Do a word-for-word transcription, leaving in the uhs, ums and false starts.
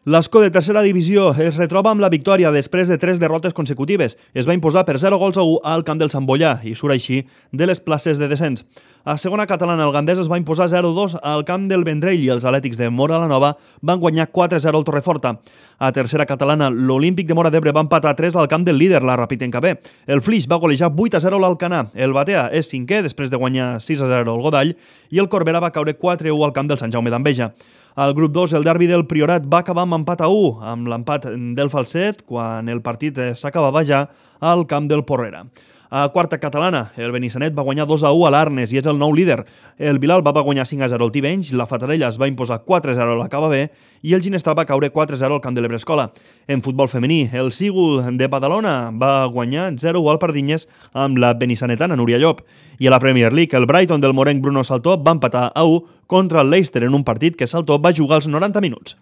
L'Ascó de tercera divisió es retroba amb la victòria després de tres derrotes consecutives. Es va imposar per zero gols a u al camp del Sant Boià i surt així de les places de descens. A segona catalana, el Gandés es va imposar zero dos al camp del Vendrell i els Atlètics de Móra la Nova van guanyar quatre zero al Torreforta. A tercera catalana, l'Olímpic de Móra d'Ebre va empatar tres al camp del líder, la Rapitenca-B. El Flix va golejar vuit a zero l'Alcanar. El Batea és cinquè després de guanyar sis a zero al Godall i el Corbera va caure quatre a u al camp del Sant Jaume d'Enveja. Al grup dos, el derbi del Priorat va acabar amb empat a u, amb l'empat del Falset, quan el partit s'acabava ja al camp del Porrera. A quarta catalana, el Benissanet va guanyar dos a u a l'Arnes i és el nou líder. El Vilalba va guanyar cinc a zero al Tivenys, la Fatarella es va imposar quatre a zero a la Cava B i el Ginestar va caure quatre a zero al camp de l'Ebrescola. En futbol femení, el Sígul de Badalona va guanyar zero a u al Pardinyes amb la benissanetana Núria Llop. I a la Premier League, el Brighton del morenc Bruno Saltó va empatar a u contra el Leicester en un partit que Saltó va jugar als noranta minuts.